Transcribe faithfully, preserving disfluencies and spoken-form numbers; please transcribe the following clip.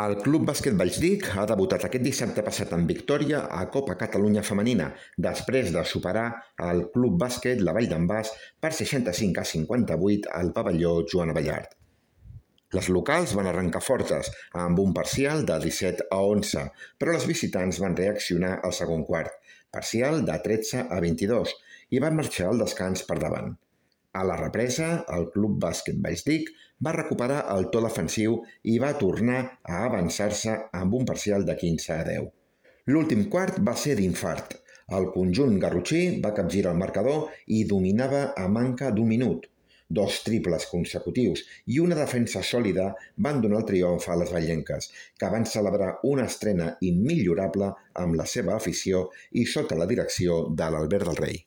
El Club Bàsquet Vallsdic ha debutat aquest dissabte passat en victòria a Copa Catalunya Femenina, després de superar el Club Bàsquet La Vall d'en Bas per seixanta-cinc a cinquanta-vuit al pavelló Joan Abellart. Les locals van arrencar fortes, amb un parcial de disset a onze, però les visitants van reaccionar al segon quart, parcial de tretze a vint-i-dos, i van marxar al descans per davant. A la represa, el Club Bàsquet Vallsdic va recuperar el to defensiu i va tornar a avançar-se amb un parcial de quinze a deu. L'últim quart va ser d'infart. El conjunt garrotxí va capgirar el marcador i dominava a manca d'un minut. Dos triples consecutius i una defensa sòlida van donar el triomf a les vallenques, que van celebrar una estrena immillorable amb la seva afició i sota la direcció de l'Albert del Rei.